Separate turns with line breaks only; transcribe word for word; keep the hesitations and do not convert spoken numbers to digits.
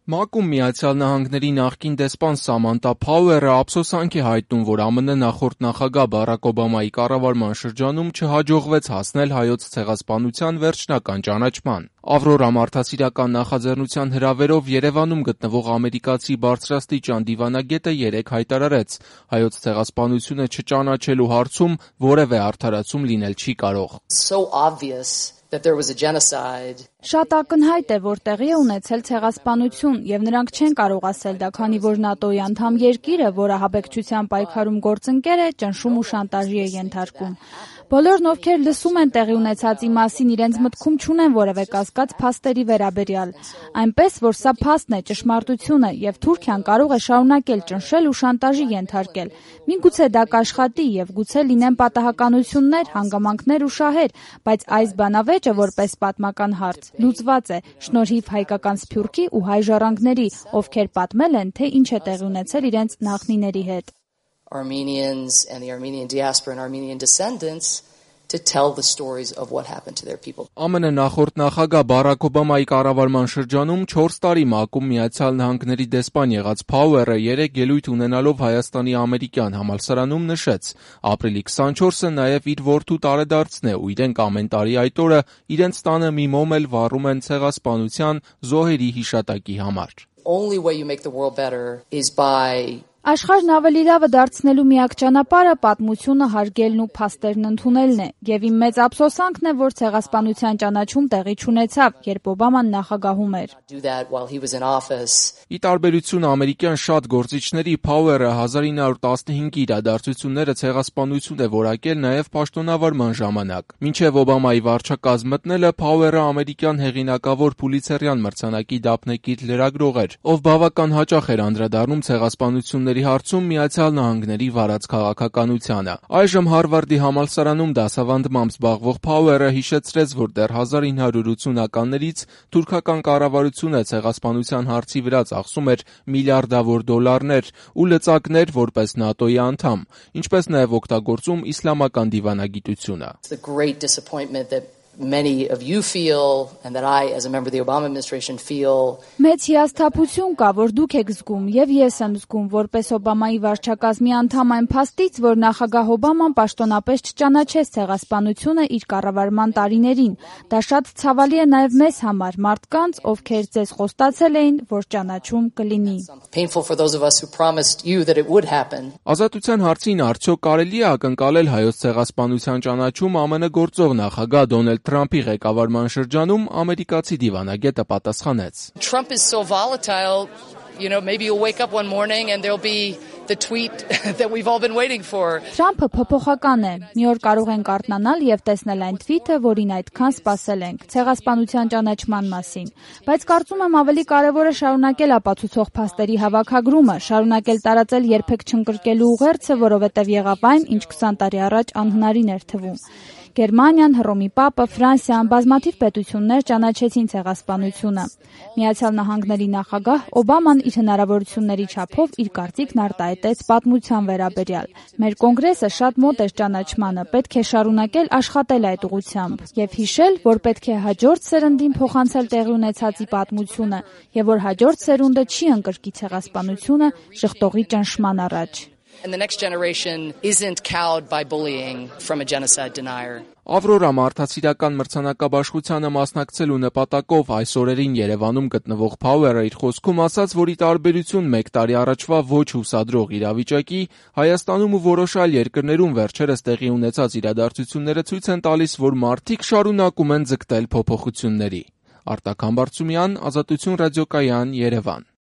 ՄԱԿ-ում Միացյալ Նահանգների նախկին դեսպան Սամանթա Փաուերը ափսոսանք է հայտնում, որ ԱՄՆ նախորդ նախագահ Բարաք Օբամայի կառավարման շրջանում չհաջողվեց հասնել Հայոց ցեղասպանության վերջնական ճանաչման։ «Ավրորա» մարդասիրական նախաձեռնության հրավերով Երևանում գտնվող ամերիկացի բարձրաստիճան դիվանագետը երեկ հայտարարեց՝ Հայոց ցեղասպանությունը չճանաչելու հարցում որևէ արդարացում լինել չի կարող։
Շատ ակնհայտ է, որ տեղի է ունեցել ցեղասպանություն, եւ նրանք չեն կարող ասել դա, քանի որ ՆԱՏՕ-ի անդամ երկիրը, որը աբեկչության պայքարում գործընկեր է, ճնշում ու շանտաժի է ենթարկում։ Բոլորն, ովքեր լսում են տեղի ունեցածի մասին, իրենց մտքում չունեն որևէ կասկած փաստերի վերաբերյալ։ Այնպես, որ սա փաստն է, ճշմարտությունը, եւ Թուրքիան կարող է շարունակել ճնշել ու շանտաժի ենթարկել։ Միգուցե դա կաշխատի եւ գուցե լինեն պատահականություններ, հանգամանքներ ու շահեր, բայց այս բանավեճը, որպես պատմական հարց, լուծված է շնորհիվ հայկական սփյուռքի ու հայ ժառանգների, ովքեր պատմել են, թե ինչ է տեղի ունեցել իրենց նախնիների հետ։
Armenians and the Armenian diaspora and Armenian descendants to tell the stories of what happened to their people.
ԱՄՆ նախորդ նախագահ Բարաք Օբամայի կառավարման շրջանում չորս տարի ՄԱԿ-ում Միացյալ Նահանգների դեսպան եղած Փաուերը երեկ ելույթ ունենալով Հայաստանի ամերիկյան համալսարանում նշեց՝ ապրիլի քսանչորսը նաև իր որդու տարեդարձն է ու իրենք ամեն տարի այդ օրը իրենց տանը մի մոմ էլ վառում են ցեղասպանության զոհերի հիշատակի համար։
Only way you make the world better is by
Աշխարհն ավելի լավը դարձնելու միակ ճանապարհը պատմությունը հարգելն ու փաստերն ընդունելն է, եւ իմ մեծ ափսոսանքն է, որ ցեղասպանության ճանաչում տեղի չունեցավ, երբ Օբաման նախագահում էր։
Ի տարբերություն ամերիկյան շատ գործիչների, Փաուերը հազար ինը հարյուր տասնհինգի իրադարձությունները ցեղասպանություն է որակել նաև պաշտոնավարման ժամանակ։ Մինչև Օբամայի վարչակազմ մտնելը Փաուերը ամերիկյան հեղինակավոր Փուլիցերյան մրցանակի դափնեկիր լրագրող էր, ով բավական հաճախ էր անդրադառնում ցեղասպանությունների հարցում Միացյալ Նահանգների վարած քաղաքականությանը։ Այժմ Հարվարդի համալսարանում դասավանդմամբ զբաղվող Փաուերը հիշեցրեց, որ դեռ հազար ինը հարյուր ութսունականներից թուրքական կառավարությունը ցեղասպանության հարցի վրա ծախսում էր միլիարդավոր դոլարներ ու լծակներ որպես ՆԱՏՕ-ի անդամ, ինչպես նաև օգտագործում իսլամական դիվանագիտությունը։
Many of you feel and that I as a member of the Obama administration feel
Մեծ հիասթափություն կա, որ դուք եք զգում եւ ես եմ զգում որպես Օբամայի վարչակազմի անդամ այն փաստից, որ նախագահ Օբաման պաշտոնապես չճանաչեց ցեղասպանությունը իր կառավարման տարիներին։ Դա շատ ցավալի է նաեւ մեզ համար, մարդկանց, ովքեր ձեզ խոստացել էին, որ ճանաչում կլինի։
Painful for those of us who promised you that it would happen.
Ազատության հարցին արդյոք կարելի է ակնկալել հայոց ցեղասպանության ճանաչում ԱՄՆ գործող նախագահ Դոնալդ Թրամփի ղեկավարման շրջանում ամերիկացի դիվանագետը պատասխանեց.
Trump is so volatile, you know, maybe you'll wake up one morning and there'll be the tweet that we've all been waiting for.
Թրամփը փոփոխական է։ Մի օր կարող ենք արթնանալ եւ տեսնել այն թվիթը, որին այդքան սպասել ենք, ցեղասպանության ճանաչման մասին։ Բայց կարծում եմ ավելի կարեւոր է շարունակել ապացուցող փաստերի հավաքագրումը, շարունակել տարածել երբեք չընկրկելու ուղերձը, որովհետեւ եղավ այն, ինչ քսան տարի առաջ անհնարին էր թվում։ Գերմանիան, Հռոմի Պապը, Ֆրանսիան, բազմաթիվ պետություններ ճանաչեցին ցեղասպանությունը։ Միացյալ Նահանգների նախագահ Օբաման իր հնարավորությունների չափով իր կարծիքն արտահայտեց պատմության վերաբերյալ։ Մեր կոնգրեսը շատ մոտ էր ճանաչմանը, պետք է շարունակել աշխատել այդ ուղղությամբ եւ հիշել, որ պետք է հաջորդ սերնդին փոխանցել տեղի ունեցածի պատմությունը եւ որ հաջորդ սերունդը չի ընկրկի ցեղասպանությունը շղթողի ճնշման առաջ։
And the next generation isn't cowed by bullying from a genocide denier.
Ավրորա մարդասիրական մրցանակաբաշխությանը մասնակցելու նպատակով այս օրերին Երևանում գտնվող Փաուերը իր խոսքում ասաց, որ ի տարբերություն մեկ տարի առաջվա ոչ հուսադրող իրավիճակի, Հայաստանում ու որոշ այլ երկրներում վերջերս տեղի ունեցած իրադարձությունները ցույց են տալիս, որ մարդիկ շարունակում են ձգտել փոփոխությունների։ Արտակ Համբարձումյան, Ազատություն ռադիոկայան, Երևան։